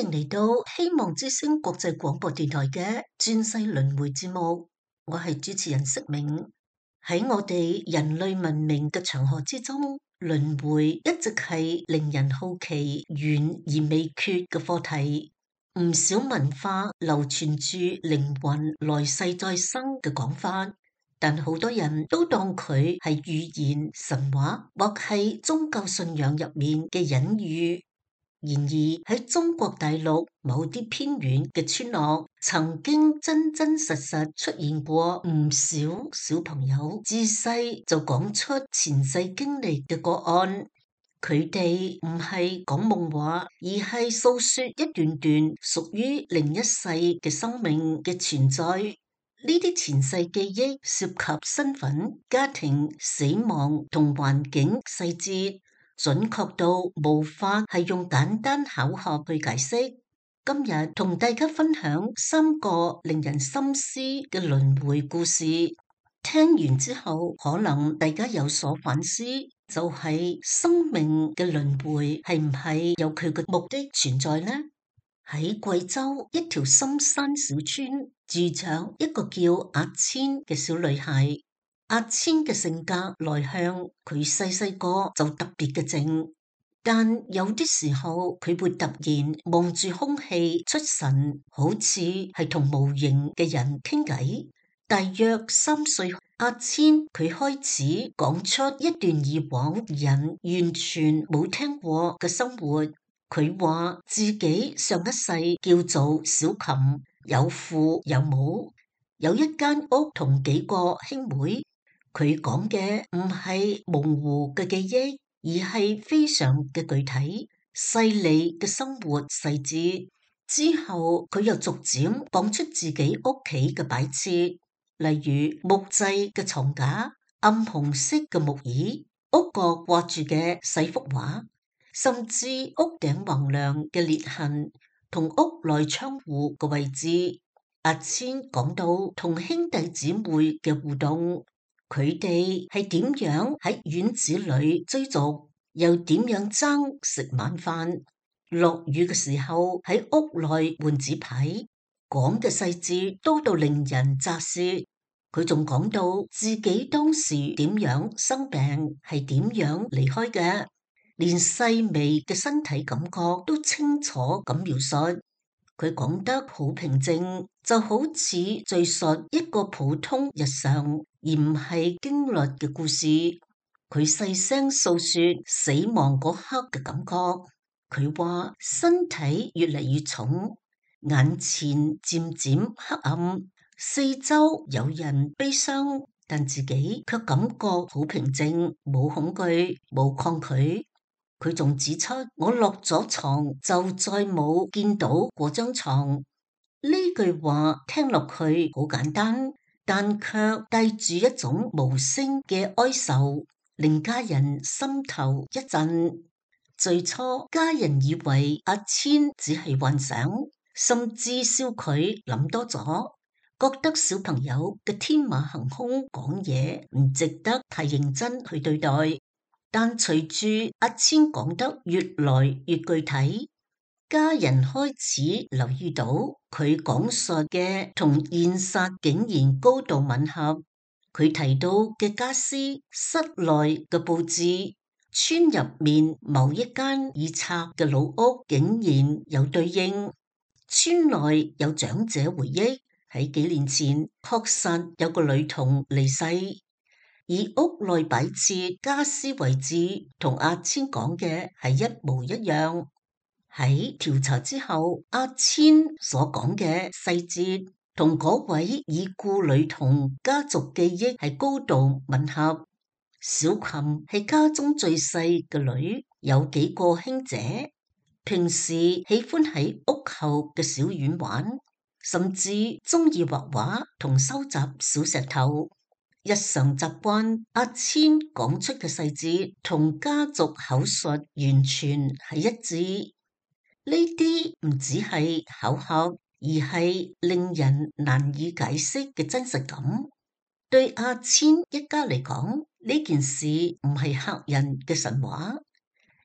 迎嚟到希望之聲國際廣播電台嘅轉世輪迴節目，我係主持人釋明。喺我哋人類文明嘅長河之中，輪迴一直係令人好奇、懸而未決嘅課題。唔少文化流傳住靈魂來世再生嘅講法，但好多人都當佢係寓言、神話或係宗教信仰入面嘅隱喻。然而喺中國大陸某啲偏遠嘅村落，曾經真真實實出現過唔少小朋友自細就講出前世經歷嘅個案。佢哋唔係講夢話，而係訴說一段段屬於另一世嘅生命嘅存在。呢啲前世記憶涉及身份、家庭、死亡同環境細節，準確到無法係用簡單巧合去解釋。今日同大家分享3個令人深思嘅輪迴故事。聽完之後，可能大家有所反思，就係生命嘅輪迴係唔係有佢嘅目的存在呢？喺貴州一條深山小村，住着一個叫阿千嘅小女孩。阿千嘅性格內向，佢細個就特別嘅靜，但有啲時候佢會突然望住空氣出神，好似係同無形嘅人傾偈。大約3歲，阿千佢開始講出一段以往人完全冇聽過嘅生活。佢話自己上一世叫做小琴，有父有母，有一間屋同幾個兄妹。佢講嘅唔係模糊嘅記憶，而係非常嘅具體、細膩嘅生活細節。之後佢又逐漸講出自己屋企嘅擺設，例如木製嘅床架、暗紅色嘅木椅、屋角掛住嘅細幅畫，甚至屋頂橫梁嘅裂痕同屋內窗戶嘅位置。阿千講到同兄弟姊妹嘅互動。佢哋係點樣喺院子裏追逐，又點樣爭食晚飯？落雨嘅時候喺屋內換紙牌，講嘅細節多到令人咋舌。佢仲講到自己當時點樣生病，係點樣離開嘅，連細微嘅身體感覺都清楚咁描述。佢講得好平靜，就好似敘述一個普通日常，而唔係經歷嘅故事。佢細聲訴說死亡嗰刻嘅感覺。佢話身體越嚟越重，眼前漸漸黑暗，四周有人悲傷，但自己卻感覺好平靜，冇恐懼，冇抗拒。佢仲指出，我落咗床就再冇見到嗰張床。呢句話聽落去好簡單，但卻帶住一種無聲嘅哀愁，令家人心頭一震。最初家人以為阿千只係幻想，甚至笑佢諗多咗，覺得小朋友嘅天馬行空講嘢唔值得太認真去對待。但隨住阿千講得越來越具體，家人開始留意到佢講述嘅同現實竟然高度吻合。佢提到嘅家私、室內嘅佈置、村入面某一間已拆嘅老屋竟然有對應。村內有長者回憶，喺幾年前確實有個女童離世。而屋內擺設家私位置同阿千講嘅係一模一樣。喺調查之後，阿千所講嘅細節同嗰位已故女童家族記憶係高度吻合。小琴係家中最細嘅女，有幾個兄姐，平時喜歡喺屋後嘅小院玩，甚至中意畫畫同收集小石頭。日常習慣，阿千講出嘅細節同家族口述完全係一致。呢啲唔只係巧合，而係令人難以解釋嘅真實感。對阿千一家嚟講，呢件事唔係嚇人嘅神話，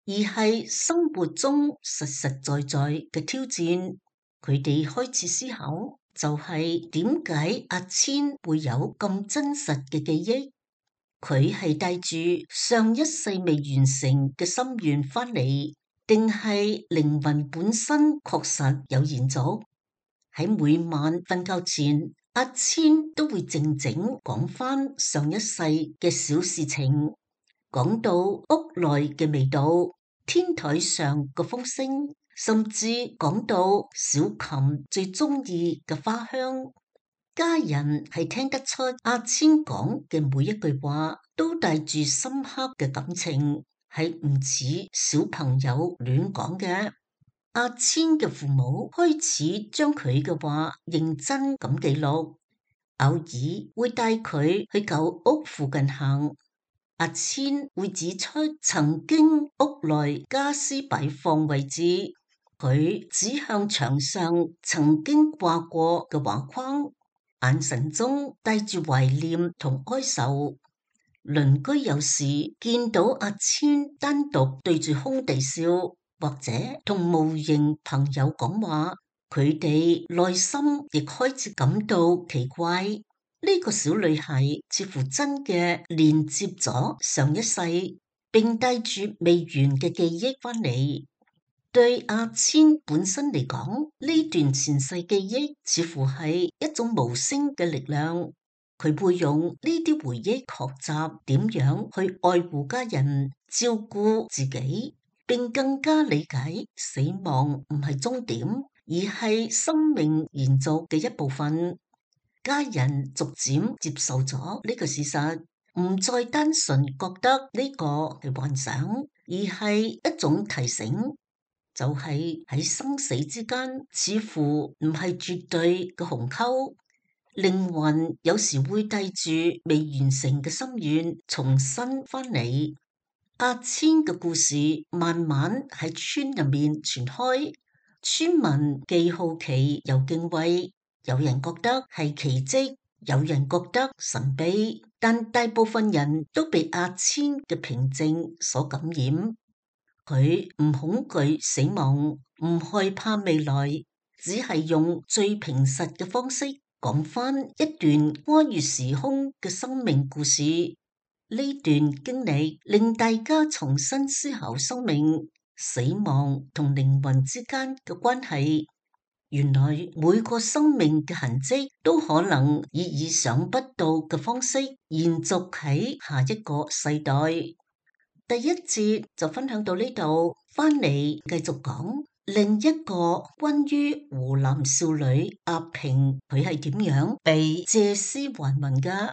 而係生活中實實在在嘅挑戰。佢哋開始思考，就係點解阿千會有咁真實嘅記憶？佢係帶住上一世未完成嘅心願翻嚟，定係靈魂本身確實有延續？喺每晚瞓覺前，阿千都會靜靜講翻上一世嘅小事情，講到屋內嘅味道、天台上嘅風聲，甚至講到小琴最中意嘅花香。家人係聽得出阿千講嘅每一句話都帶住深刻嘅感情，係唔似小朋友亂講嘅。阿千嘅父母開始將佢嘅話認真咁記錄，偶爾會帶佢去舊屋附近行。阿千會指出曾經屋內家私擺放位置，佢指向牆上曾經掛過嘅畫框，眼神中帶住懷念同哀愁。鄰居有時見到阿千單獨對住空地笑，或者同無形朋友講話，佢哋內心亦開始感到奇怪。呢個小女孩似乎真嘅連接咗上一世，並帶住未完嘅記憶翻嚟。對阿千本身嚟講，呢段前世記憶似乎係一種無聲嘅力量。佢會用呢啲回憶學習點樣去愛護家人、照顧自己，並更加理解死亡唔係終點，而係生命延續嘅一部分。家人逐漸接受咗呢個事實，唔再單純覺得呢個係幻想，而係一種提醒。就係喺生死之間，似乎唔係絕對嘅鴻溝，靈魂有時會帶住未完成嘅心願重新翻嚟。阿千嘅故事慢慢喺村入面傳開，村民既好奇又敬畏，有人覺得係奇蹟，有人覺得神秘，但大部分人都被阿千嘅平靜所感染。佢唔恐懼死亡，唔害怕未來，只係用最平實嘅方式講翻一段跨越時空嘅生命故事。呢段經歷令大家重新思考生命、死亡同靈魂之間嘅關係。原來每個生命嘅痕跡都可能以意想不到嘅方式延續喺下一個世代。第一節就分享到呢度，翻嚟繼續講另一個關於湖南少女阿平，佢係點樣被借屍還魂㗎。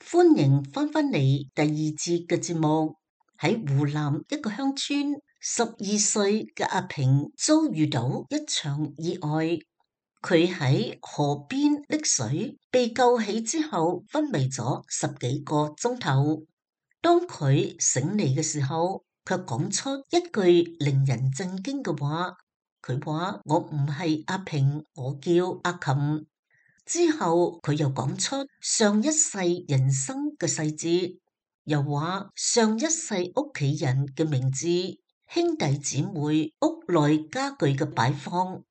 歡迎翻返嚟第二節嘅節目。喺湖南一個鄉村，12歲嘅阿平遭遇到一場意外。佢喺河邊溺水，被救起之後昏迷咗10幾個鐘頭。當佢醒嚟嘅時候，卻講出一句令人震驚嘅話。佢話：我唔係阿平，我叫阿琴。之後佢又講出上一世人生嘅細節，又話上一世屋企人嘅名字、兄弟姊妹、屋內家具嘅擺放，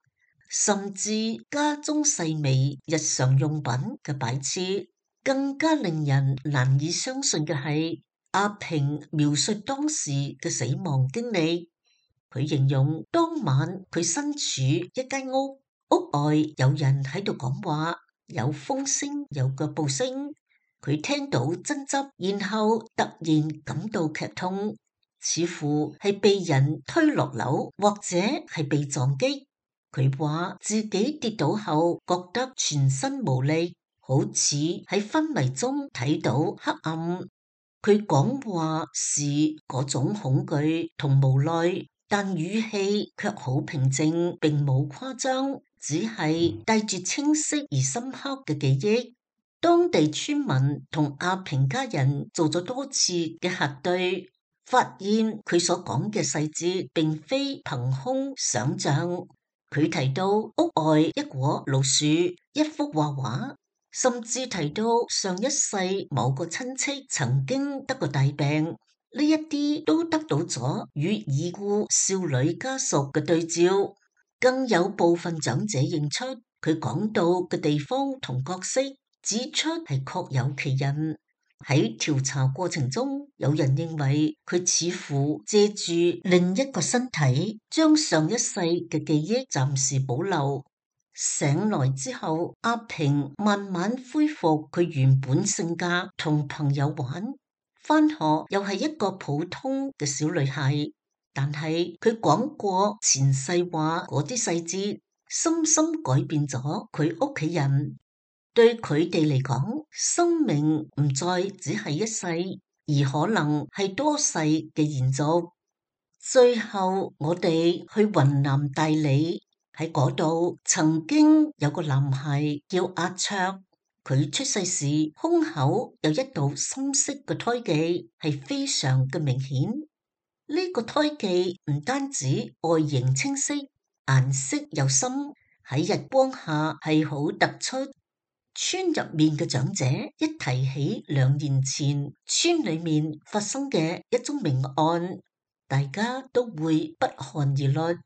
甚至家中細微日常用品嘅擺設。更加令人難以相信嘅係，阿平描述當時嘅死亡經歷。佢形容當晚佢身處一間屋，屋外有人喺度講話，有風聲，有腳步聲。佢聽到爭執，然後突然感到劇痛，似乎係被人推落樓，或者係被撞擊。佢話自己跌倒後覺得全身無力，好似喺昏迷中睇到黑暗。佢講話是嗰種恐懼同無奈，但語氣卻好平靜，並冇誇張，只係帶住清晰而深刻嘅記憶。當地村民同阿平家人做咗多次嘅核對，發現佢所講嘅細節並非憑空想象。佢提到屋外一棵老樹、一幅畫畫，甚至提到上一世某個親戚曾經得過大病，呢一啲都得到咗與已故少女家屬嘅對照。更有部分長者認出佢講到嘅地方同角色，指出係確有其人。喺調查過程中，有人認為佢似乎借住另一個身體，將上一世嘅記憶暫時保留。醒來之後，阿平慢慢恢復佢原本性格，同朋友玩，返學又係一個普通嘅小女孩。但係佢講過前世話嗰啲細節，深深改變咗佢屋企人。對佢哋嚟講，生命唔再只係一世，而可能係多世嘅延續。最後，我哋去雲南大理，喺嗰度曾經有個男孩叫阿卓，佢出世時胸口有一道深色嘅胎記，係非常嘅明顯。呢個胎記唔單止外形清晰，顏色又深，喺日光下係好突出。村入面嘅長者一提起2年前村裏面發生嘅一宗命案，大家都會不寒而慄。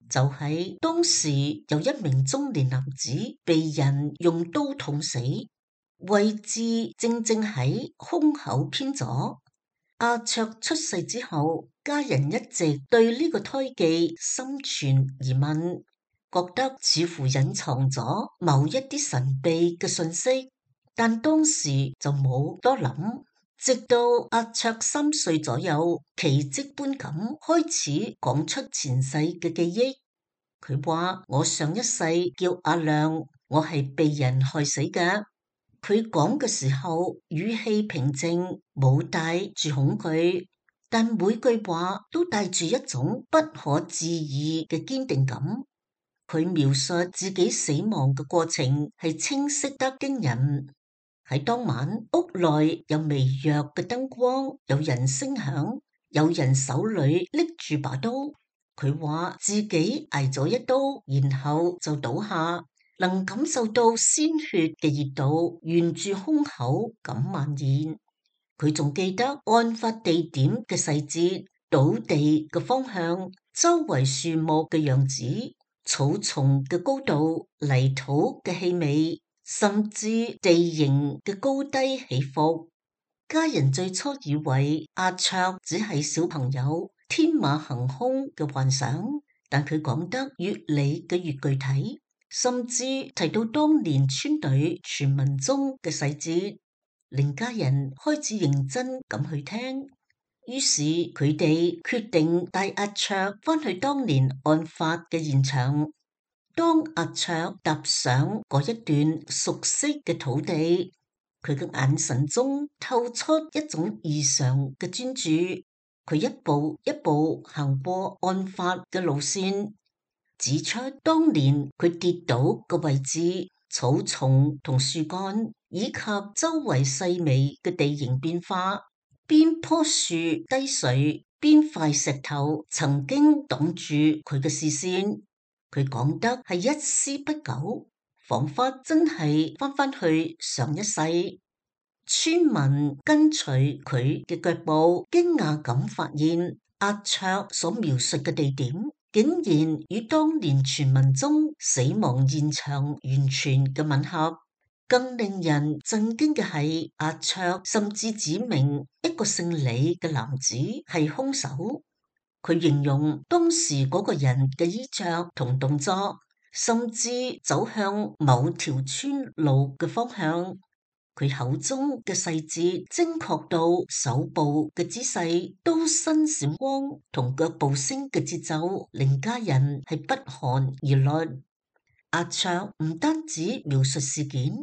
就喺當時有一名中年男子被人用刀捅死，位置正正喺胸口偏左。阿卓出世之後，家人一直對呢個胎記心存疑問，覺得似乎隱藏咗某一啲神秘嘅信息，但當時就冇多諗。直到阿卓3歲左右，奇蹟般咁開始講出前世嘅記憶。佢話：我上一世叫阿亮，我係被人害死嘅。佢講嘅時候語氣平靜，冇帶住恐懼，但每句話都帶住一種不可置疑嘅堅定感。佢描述自己死亡嘅過程係清晰得驚人。喺當晚，屋內有微弱嘅燈光，有人聲響，有人手裏拎住把刀。佢話自己挨咗一刀，然後就倒下，能感受到鮮血嘅熱度沿住胸口咁蔓延。佢仲記得案發地點嘅細節，倒地嘅方向，周圍樹木嘅樣子，草叢嘅高度，泥土嘅氣味，甚至地形嘅高低起伏。家人最初以為阿卓只係小朋友天馬行空嘅幻想，但佢講得越嚟嘅越具體，甚至提到當年村隊傳聞中嘅細節，令家人開始認真咁去聽。於是佢哋決定帶阿卓返去當年案發嘅現場。當阿卓踏上嗰一段熟悉嘅土地，佢嘅眼神中透出一種異常嘅專注。佢一步一步行過案發嘅路線，指出當年佢跌倒嘅位置、草叢同樹幹，以及周圍細微嘅地形變化。邊棵樹低垂，邊塊石頭曾經擋住佢嘅視線。佢講得係一絲不苟，仿佛真係返去上一世。村民跟隨佢嘅腳步，驚訝咁發現阿卓所描述嘅地點，竟然與當年傳聞中死亡現場完全嘅吻合。更令人震驚嘅係，阿卓甚至指明一個姓李嘅男子係兇手。佢形容當時嗰個人嘅衣着同動作，甚至走向某條村路嘅方向。佢口中嘅細節精確到手部嘅姿勢、刀身閃光同腳步聲嘅節奏，令家人係不寒而慄。阿卓唔單止描述事件，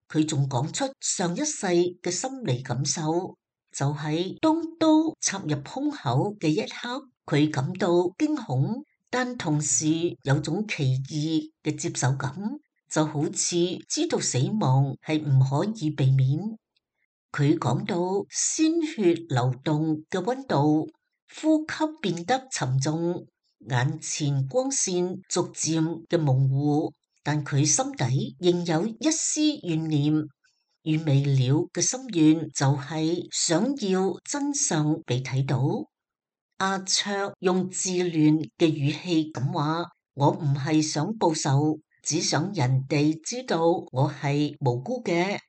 佢仲講出上一世嘅心理感受，就係當刀插入胸口嘅一刻，佢感到驚恐，但同時有種奇異嘅接受感，就好似知道死亡係唔可以避免。佢講到鮮血流動嘅溫度，呼吸變得沉重，眼前光線逐漸嘅模糊，但佢心底仍有一絲怨念，與未了嘅心願就係想要真相被睇到。阿卓用自戀嘅語氣咁話：我唔係想報仇，只想人哋知道我係無辜嘅。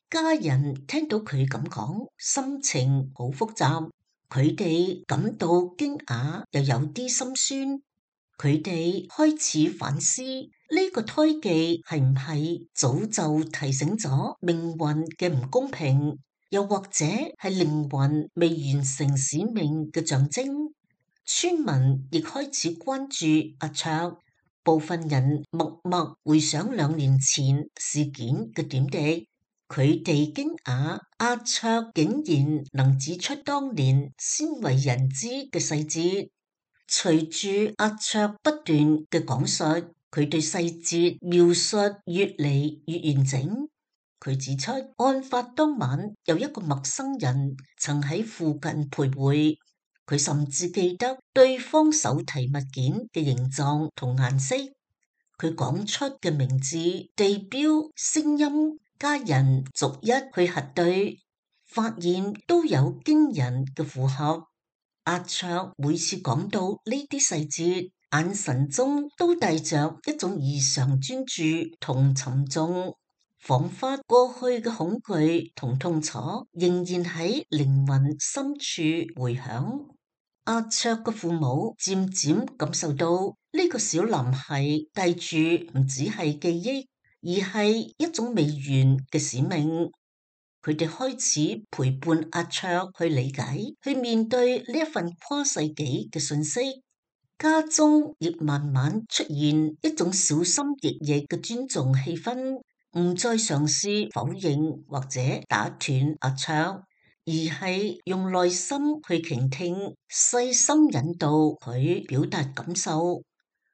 家人聽到佢咁講，心情好複雜，佢哋感到驚訝，又有啲心酸。佢哋開始反思呢個胎記係唔係早就提醒咗命運嘅唔公平，又或者係靈魂未完成使命嘅象徵。村民亦開始關注阿卓，部分人默默回想2年前事件嘅點滴。佢哋驚訝阿卓竟然能指出當年鮮為人知嘅細節。隨住阿卓不斷嘅講述，佢對細節描述越嚟越完整。佢指出，案發當晚有一個陌生人曾喺附近徘徊，佢甚至記得對方手提物件嘅形狀同顏色。佢講出嘅名字、地標、聲音，家人逐一去核對，發現都有驚人嘅符合。阿卓每次講到呢啲細節，眼神中都帶着一種異常專注同沉重，仿佛過去嘅恐懼同痛楚仍然喺靈魂深處回響。阿卓嘅父母漸漸感受到呢個小男孩帶住唔只係記憶，而係一種未完嘅使命。佢哋開始陪伴阿卓去理解、去面對呢一份跨世紀嘅信息。家中亦慢慢出現一種小心翼翼嘅尊重氣氛，唔再嘗試否認或者打斷阿卓，而係用耐心去傾聽、細心引導佢表達感受。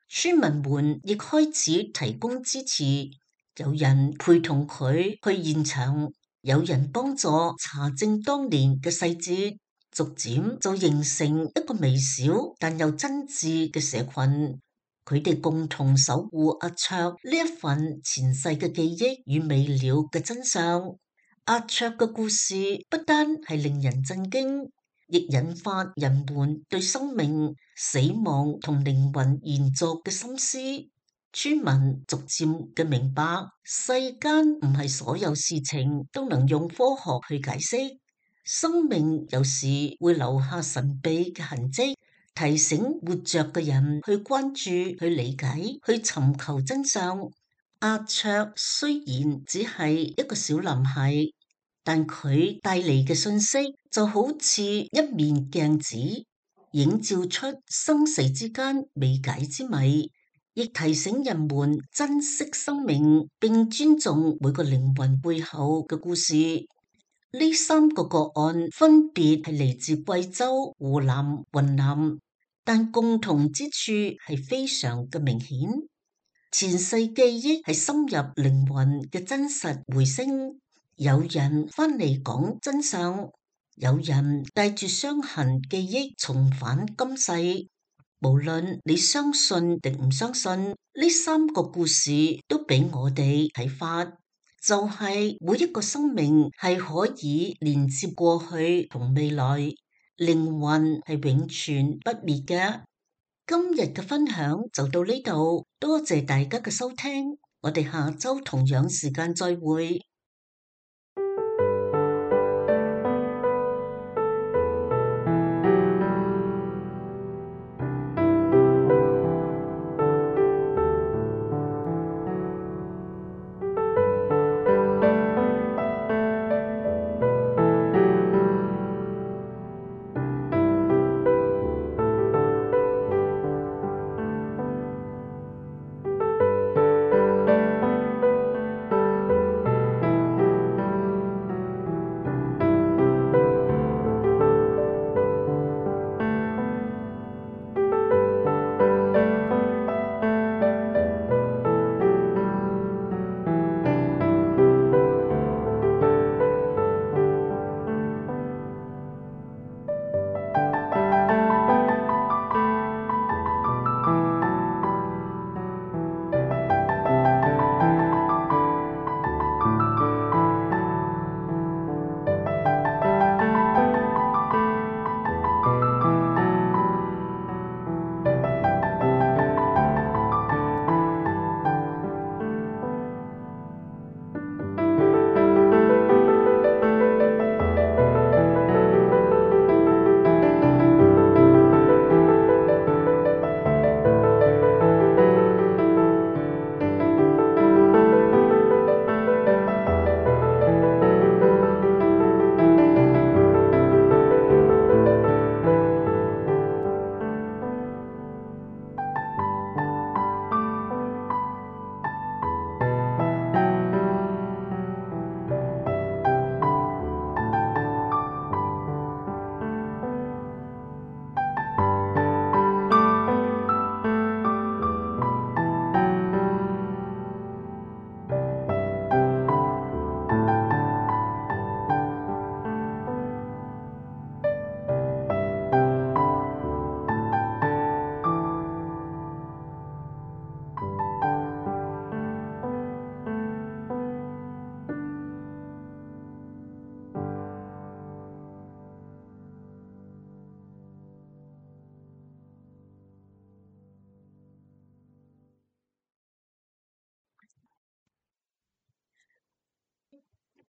村民們亦開始提供支持，有人陪同佢去現場。有人幫助查證當年嘅細節，逐漸就形成一個微小但又真摯嘅社群。佢哋共同守護阿卓呢一份前世嘅記憶與未了嘅真相。阿卓嘅故事不單係令人震驚，亦引發人們對生命、死亡同靈魂延續嘅深思。村民逐漸嘅明白，世間唔係所有事情都能用科學去解釋。生命有時會留下神秘嘅痕跡，提醒活着嘅人去關注、去理解、去尋求真相。阿卓雖然只係一個小男孩，但佢帶嚟嘅信息就好似一面鏡子，映照出生死之間未解之謎。亦提醒人們珍惜生命，並尊重每個靈魂背後嘅故事。呢3個個案分別係嚟自貴州、湖南、雲南，但共同之處係非常嘅明顯。前世記憶係深入靈魂嘅真實回聲。有人翻嚟講真相，有人帶住傷痕記憶重返今世。無論你相信定唔相信，呢3個故事都俾我哋啟發，就係每一個生命係可以連接過去同未來，靈魂係永存不滅嘅。今日嘅分享就到呢度，多謝大家嘅收聽，我哋下周同樣時間再會。